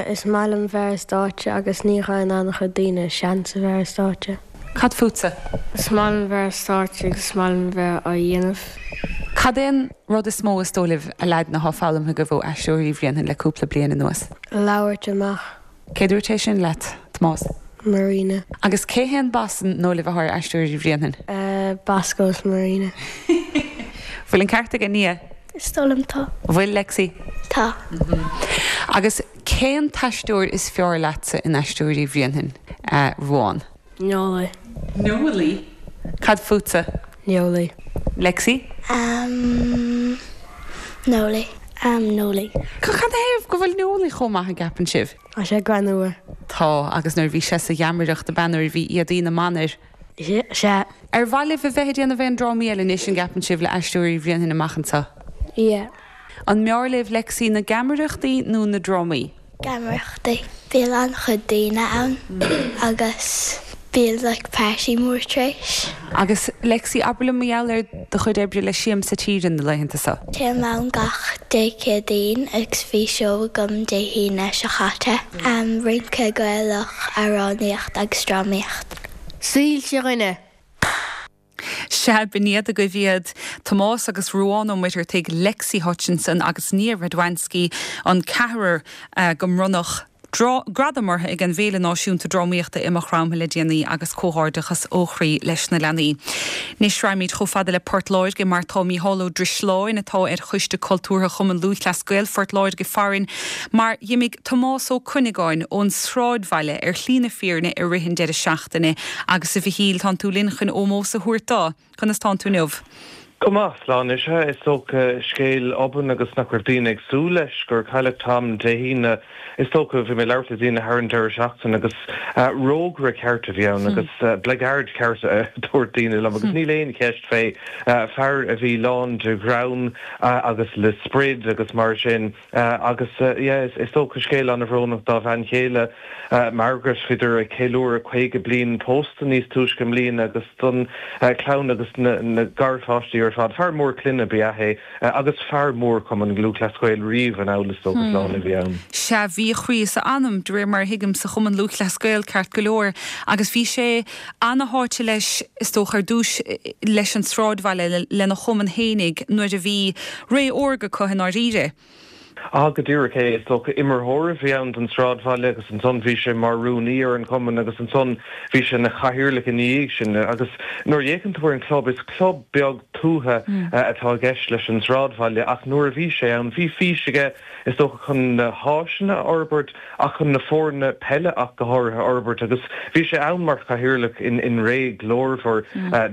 Is maith liom bheith ar stáitse agus ní fhaigheann an-chuid daoine seans a bheith ar stáitse. Cad fútsa? Is maith liom bheith ar stáitse agus is maith liom bheith á dhéanamh. Cad é an rud is mó is dóigh libh a leaideanna atá foghlamtha agaibh ó Aisteoirí Bhréanainn le cúpla bliain anuas? Labhairt amach. Cé dúirt é sin leat, Tomás? Marina. Agus cé hé an boss an ndóigh libh atá ar Aisteoirí Bhréanainn? Bosco is Marina. Bhfuil an ceart ag Nia? Is dóigh liom tá. Bhfuil Lexi? Tá. Agus cén t-aisteoir is fearr leatsa in Aisteoirí Bhréanainn, Ruán? Nollaí. Nollaí? Cad fútsa? Nollaí. Lexi? Um, Nollaí. Um, Nollaí. Cad thaobh go bhfuil Nollaí chomh maith an gceapann sibh? Tá sé greannmhar. Tá, agus nuair bhí sé sa gheamaireacht ab ea nuair bhí éadaí na mban air. Sea. Ar mhaith libh a bheith ag déanamh aon drámaí eile anois an gceapann sibh le Aisteoirí Bhréanainn amach anseo? Yeah. An mb'fhearr libh Lexi na geamaireachtaí nó na drámaí? Geamaireachtaí. Bíonn an-chuid daoine ann agus bíonn like party mór tar éis. Agus Lexi, abair liom mar gheall ar do chuid oibre le Siamsa Tíre na laethanta seo. Téim ann gach Dé Céadaoin agus bhí seó agam Dé hAoine seo chaite. Rince Gaelach, amhránaíocht agus drámaíocht. Soilse dhuine. Sea, b'in iad agaibh iad Tomás agus Ruán Ó Muircheartaigh, Lexi Hutchinson agus Nia Radwanski, an ceathrar go mbronnadh gradam orthu ag an bhFéile Náisiúnta Drámaíochta i Maigh Chromtha le déanaí agus comhghairdeachas ó chroí leis na leanaí. Anois raghaimid chomh fada le Port Láirge mar tá Mícheál Ó Drisleáin atá ar Choiste Cultúrtha Chumann Lúthchleas Gael Phort Láirge farainn mar d'imigh Tomás Ó Cuinneagáin ón Sráidbhaile ar shlí na fírinne i rith an deireadh seachtaine agus a Mhichíl tánn tú linn chun ómós a thabhairt dó. Conas tánn tú inniu? Go maith, Sláine. Is ea, is dócha, scéal obann agus nach raibh daoine ag súil leis gur cailleadh Tom Dé hAoine. Is dócha, bhí mé ag labhairt le daoine thar an deireadh seachtaine agus rógaire ceart a bhí ann agus blackguard ceart a dúirt daoine liom agus níl aon cheist fé. Fear a bhí lán de ghreann agus le sprid agus mar sin agus yeah, is dócha scéal an-bhrónach dá bhean chéile Margaret, bhíodar ag ceiliúradh caoga bliain pósta níos túisce i mbliana agus don chlann agus na garpháistí ar fad. Fear mór clainne ba ea é agus fear mór Chumann Lúthchleas Gael riamh anall is dócha Sláine a bhí ann. Sea, bhí a chroí is a anam, de réir mar a thuigim, sa Chumann Lúthchleas Gael ceart go leor agus bhí sé ana-sháite leis, is dócha, ar dtús leis an sráidbhaile, lena chumann fhéinig nuair a bhí ré órga acu i ndáiríre. Ah, go díreach é. Is dócha imreoir a bhí ann don Sráidbhaile agus ansan bhí sé mar rúnaí ar an chumann agus ansan bhí sé ina chathaoirleach ina dhiaidh sin. Agus nuair a fhéachann tú ar an chlub, is club beag tuaithe atá i gceist leis an Sráidbhaile ach nuair a bhí sé ann, bhí fís aige is dócha chun na háiseanna a fhorbairt ach chun na foirne peile ach go háirithe a fhorbairt agus bhí sé ann mar chathaoirleach in in ré glórmhar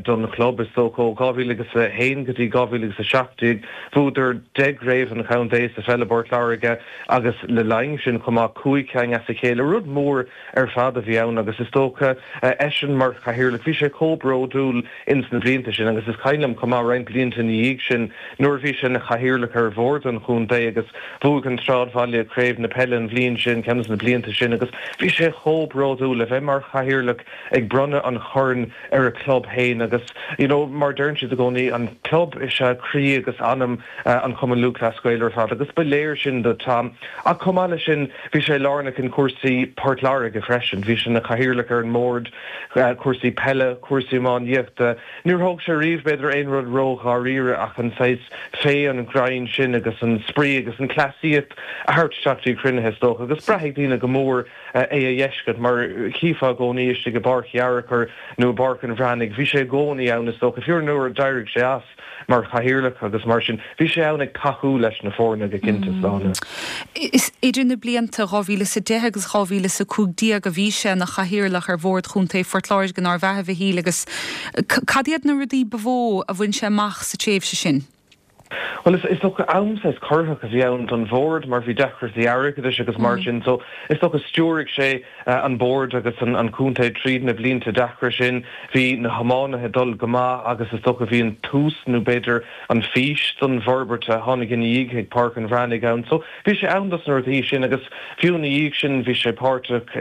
don chlub is dócha ó dhá mhíle agus a haon go dtí dhá mhíle agus a seacht déag. Bhuadar deich gcraobh an chontae sa pheil i bPort Láirge agus le linn sin chomh maith cúig cinn as a chéile, rud mór ar fad a bhí ann agus is dócha eisean mar chathaoirleach bhí sé chomh bródúil ins na blianta sin agus is cuimhin liom chomh maith roinnt blianta ina dhiaidh sin nuair a bhí sé ina chathaoirleach ar bhord an chontae agus bhuaigh an Sráidbhaile craobh na peile an bhliain sin, ceann de na blianta sin agus bhí sé chomh bródúil a bheith mar chathaoirleach ag bronnadh an choirn ar a chlub féin agus you know mar deireann siad i gcónaí an club is ea croí agus anam an Chumann Lúthchleas Gael ar fad agus ba léir sin do Tom. Ach chomh maith leis sin bhí sé lárnach in cúrsaí Port Láirge freisin. Bhí sé ina chathaoirleach ar an mbord, cúrsaí peile, cúrsaí iománaíochta. Níor thóg sé riamh b'fhéidir aon rud ró-dháiríre ach an saghas féith an ghreann sin agus an spraoi agus an cleasaíocht a thabhairt isteach dtí cruinnithe is dócha agus braithfidh daoine go mór é a fheiscint mar chífeá i gcónaí istigh i bPáirc Fhearchair nó i bPáirc an Bhreathnaigh. Bhí sé i gcónaí ann is dócha, fiú nuair a d'éirigh sé as mar chathaoirleach agus mar sin, bhí sé ann ag tacú leis na foirne go cinnte, Sláine. Is idir na blianta dhá mhíle is a deich agus dhá mhíle is a cúig déag a bhí sé ina chathaoirleach ar Bhord Chontae Phort Láirge, nárbh ea, a Mhichíl, agus cad iad na rudaí ba mhó a bhain sé amach sa tréimhse sin? Bhuel, is dócha am saghas corraitheach a bhí ann don bhord mar bhí deacrachtaí airgeadais agus mar sin so is dócha stiúraigh sé an bord agus an contae tríd na blianta deacra sin. Bhí na hiománaithe ag dul go maith agus is dócha bhí an tús nó b'fhéidir an fís don bhforbairt a tháinig ina dhiaidh ag Páirc an Bhreathnaigh ann. So bhí sé ann dos na rudaí sin agus fiú ina dhiaidh sin bhí sé páirteach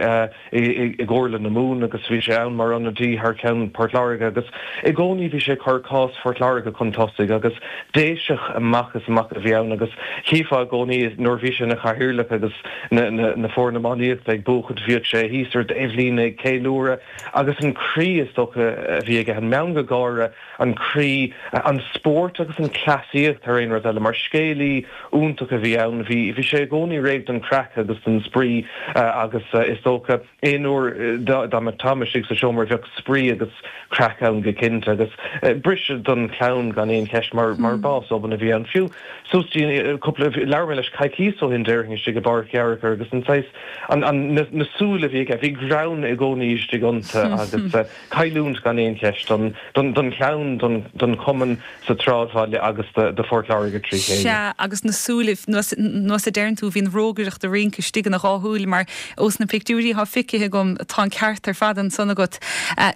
i gComhairle na Mumhan agus bhí sé ann mar ionadaí thar ceann Port Láirge agus i gcónaí bhí sé ag cur cás Phort Láirge chun tosaigh agus Déiseach amach is amach a bhí ann agus chífeá i gcónaí nuair a bhí sé ina chathaoirleach agus na foirne iománaíochta ag buachaint bhíodh sé thíos ar an taobhlíne ag ceiliúradh agus an croí is dócha a bhí aige, an meangadh gáire, an croí, an spórt agus an cleasaíocht thar aon rud eile mar scéalaí iontach a bhí ann. Bhí bhí sé i gcónaí réidh don chraic agus don spraoi agus is dócha aon uair dá mbeadh Tom istigh sa seomra bheadh spraoi agus craic ann go cinnte agus briseadh don chlann gan aon cheist mar mar bás obann a bhí ann. Fiú suas dtí cúpla, labhair mé leis coicíos ó shin déarfainn istigh i bPáirc Fhearchair agus an saghas, an, an, na, na súile a bhí aige, bhí greann i gcónaí istigh iontu agus cailliúint gan aon cheist don, don, don chlann, don, don chumann sa tsráidbhaile agus do, do Phort Láirge trí chéile. Sea, agus na súile, nós, nós a deireann tú, bhí an rógaireacht ag rince istigh ina dhá shúil mar ós na pictiúirí atá feicthe agam, tá an ceart ar fad ansan agat.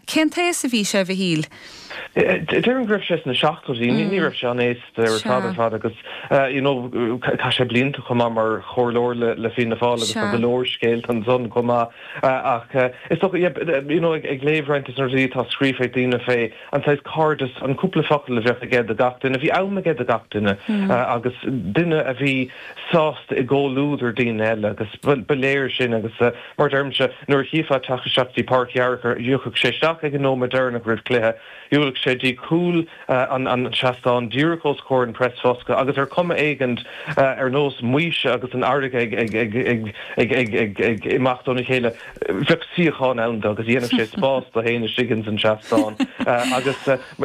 Cén t-aos a bhí sé, a Mhichíl? Déarfainn go raibh sé sna seachtóidí, ní raibh sé an-aosta ar fad ar fad agus you know chaith sé blianta chomh maith mar chomhairleoir le Fianna Fáil agus tá go leor scéalta ansan chomh maith ach is dócha yeah you know ag léamh roinnt de na rudaí atá scríofa ag daoine fé an saghas cairdeas, an cúpla focal a bheadh aige do gach duine, bhí am aige do gach duine agus duine a bhí sásta i gcomhluadar daoine eile agus ba léir sin agus mar a deirimse nuair a chífeá ag teacht isteach dtí Páirc Fhearchair thiocfadh sé isteach ag an nóiméad deireanach roimh chluiche Shiúlfadh sé dtí cúl an seastáin díreach os comhair an preasbhosca agus ar chuma éigint ar nós Maoise agus an fharraige ag imeacht óna chéile, bheadh suíochán ann dó agus dhéanfadh sé spás dó féin istigh ins an seastán. Agus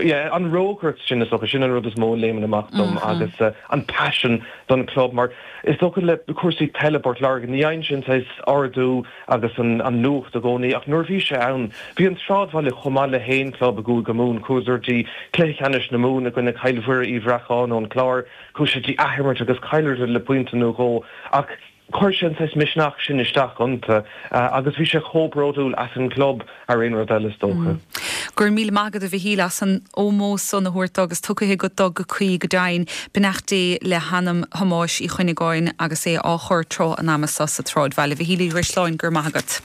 yeah, an rógaireacht sin is dócha, sin an rud is mó a léimeann amach dom agus an paisean don chlub mar is dócha le cúrsaí peile i bPort Láirge ní fhaigheann sé an saghas ardú agus an nuacht i gcónaí ach nuair a bhí sé ann, bhí an Sráidbhaile chomh maith le haon chlub i gCúige Mumhan. Chuadar dtí cluiche ceannais na Mumhan i gcoinne Cill Mhuire Uí Bhreacáin ón Chlár. Chuaigh siad dtí athimirt agus chailleadar le pointe nó dhó ach chuir sé an saghas misneach sin isteach iontu agus bhí sé chomh bródúil as an gclub thar aon rud eile is dócha. Go raibh míle maith agat a Mhichíl as an ómós san a thabhairt dó agus tugtha agat dó go cuí go deimhin. Beannacht Dé le hanam Thomáis Uí Chuinneagáin agus é á chur tráth an ama seo sa tSráidbhaile. A Mhichíl Uí Dhrisleáin, go raibh maith agat.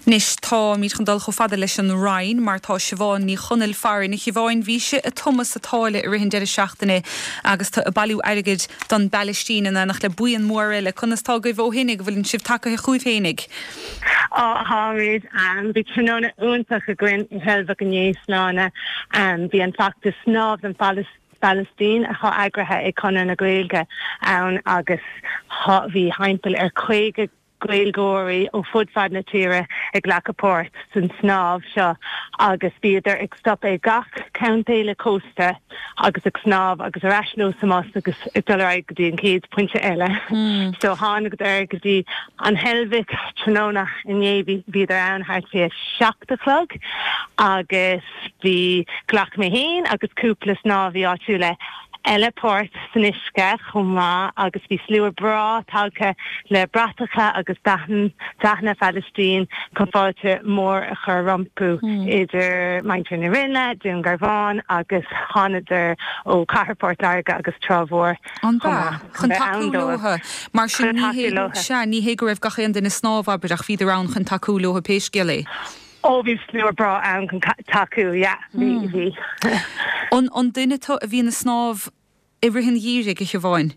Anois táimid chun dul chomh fada leis an Rinn mar tá Siobhán Ní Chonaill farainn. A Shiobháin, bhís ag tumadh sa tsáile i rith an deireadh seachtaine agus tú ag bailiú airgid don bPalaistín in éineacht le buíon mór eile. Conas tá agaibh ó shin? An bhfuil sibh tagaithe chugaibh fhéinig? Á, táimid. Bhí tráthnóna iontach againn i Heilbhic inné, Sláine. Bhí an feachtas Snámh don Phalaistín atá eagraithe ag Conradh na Gaeilge ann agus bhí thimpeall ar caoga Gaeilgeoirí ó fud fad na tíre ag glacadh páirt san snámh seo agus bhíodar ag stop ag gach contae le cósta agus ag snámh agus ar ais leo sa mbus agus ag dul ar aghaidh go dtí an chéad pointe eile. So tháinigeadar go dtí an Heilbhic tráthnóna inné, bhíodar ann thart fé a seacht a chlog agus bhí, ghlac mé féin agus cúpla snámhaí áitiúla eile páirt san uisce chomh maith agus bhí slua breá tagtha le bratacha agus dathanna Phalaistín chun fáilte mór a chur rompu idir muintir na Rinne, Dún Garbhán agus thánadar ó Cathair Phort Láirge agus Trá Mhór chomh maith chun tacú leo. Mar sin ní hé go raibh gach aon duine ag snámh abair ach bhíodar ann chun tacú leo pé scéal é. Ó bhí slua breá ann chun tacú, yeah, bhí, bhí. An an duine tú a bhíonn ag snámh i rith an gheimhridh, a Shiobháin?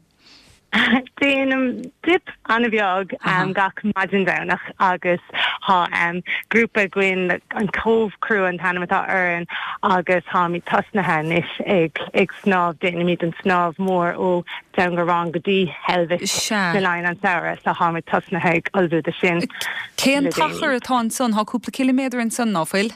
Déanaim dip an-bheag gach maidin Domhnach agus tá grúpa againn, an Cove Crew an t-ainm atá orainn agus táimid tosnaithe anois ag ag snámh, déanaimid an snámh mór ó Dún Garbhán go dtí Heilbhic le linn an samhradh so táimid tosnaithe ag ullmhú do sin Cén le déanaí. t-achar atá ansan? Tá cúpla ciliméadar ansan, ná fuil?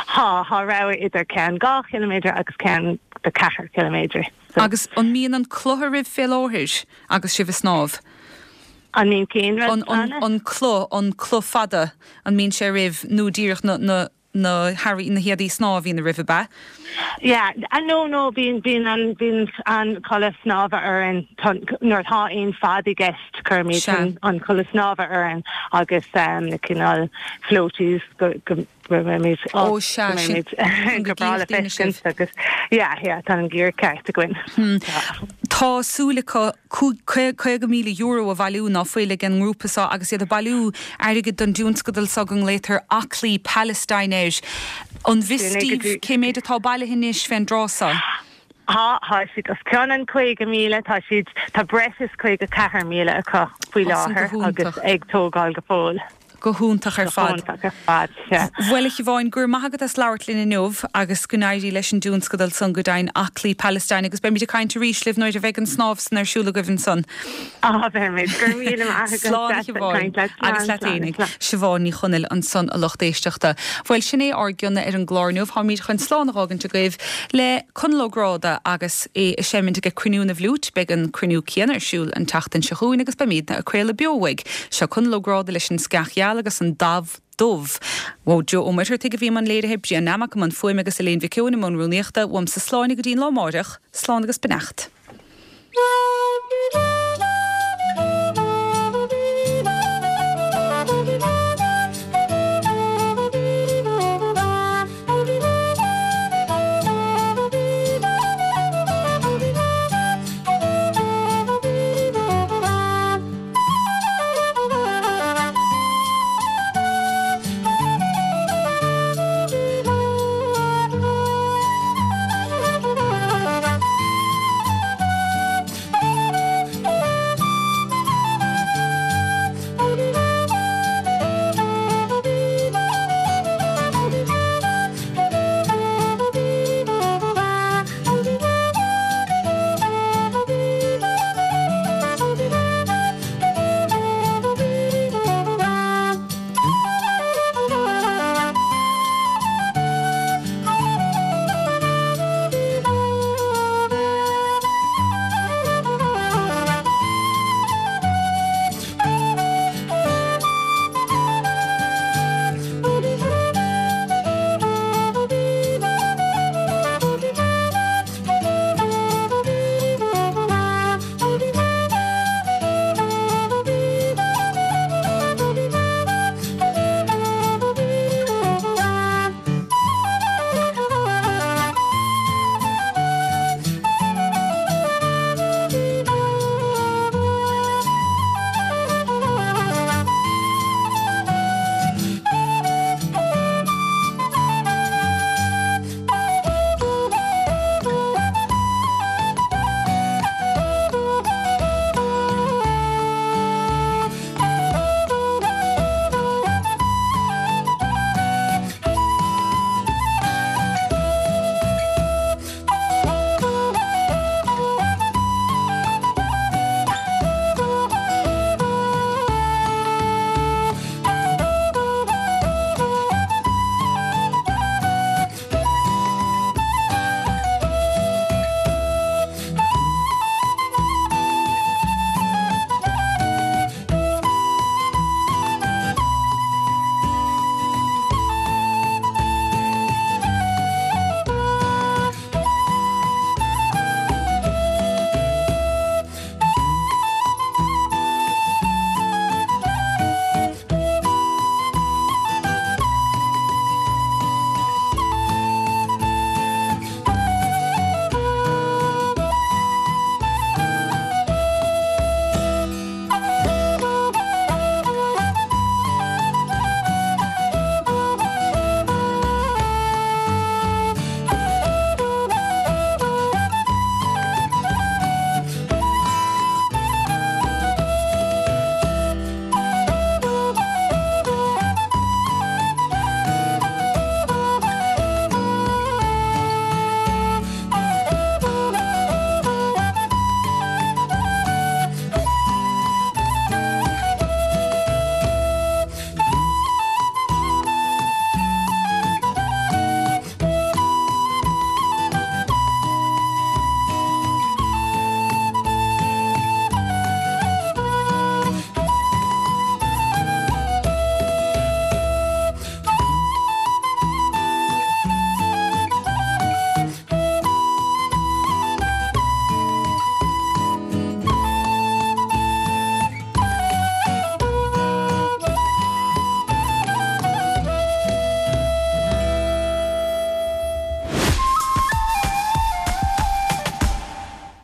Tá, tá rogha idir ceann dhá chiliméadar agus ceann de ceathair chiliméadar. So. Agus an mbíonn an cloch oraibh fé láthair agus sibh ag snámh? An mbíonn cén rud, An, an, Anna? an cloch, an cloch fada, an mbíonn sé oraibh nó díreach na, na, na hearraí, na héadaí snámha a bhíonn oraibh, ab ea? Yeah, no, no, bíonn, bíonn an, bíonn an culaith snámha orainn nuair atá aon fad i gceist, cuirimid Sea. an, an culaith snámha orainn agus na cineál floaties go, go mbeimid, Ó, go sea, sin, mbeimid chun go go breá le gcífeadh daoine sibh. feiscint agus yeah, yeah, tá an gear ceart againn. Tá súil acu caoga míle euro a bhailiú, ná fuil, ag an ngrúpa seo agus iad ag bailiú airgid don dtionscadal seo go nglaotar Aclaí Palestine air. An bhfios daoibh cé méid atá bailithe anois fén dtráth seo? Tá, tá siad os cionn an caoga míle, tá siad, tá breis is caoga ceathair míle acu faoi Tá san go láthair agus hiontach. ag tógáil go fóill. Go hiontach ar Go fad. hiontach ar fad, sea. Bhuel, a Shiobháin, go raibh maith agat as labhairt linn inniu agus go n-éirí leis an dtionscadal san go deimhin, Aclaí Palestine, agus beimid ag caint arís libh nuair a bheidh an snámh san ar siúl agaibh ansan. Á, beimid. Go raibh míle maith agat. Slán, a Deas Shiobháin. caint leat. Agus Slán, leat slán, fhéinig. slán. Siobhán Ní Chonaill ansan, a lucht éisteachta. Bhuel, sin é ár gcion ar an gclár inniu. Táimid chun slán a dh'fhágaint agaibh le Conall Ó Gráda agus é ag seimint ag Cruinniú na bhFliúit. Beidh an cruinniú céanna ar siúl an tseachtain seo chugainn agus beimidne ag craoladh beo uaidh. Seo Conall Ó Gráda leis an Sceach Gheal agus an Damh Dubh. Ó Joe Ó Muircheartaigh a bhí i mbun léirithe, Brian Nammock i mbun fuaime agus Elaine Mhic Eoin i mbun rúnaíochta. Uaimse slán go dtí an lá amáireach. Slán agus beannacht.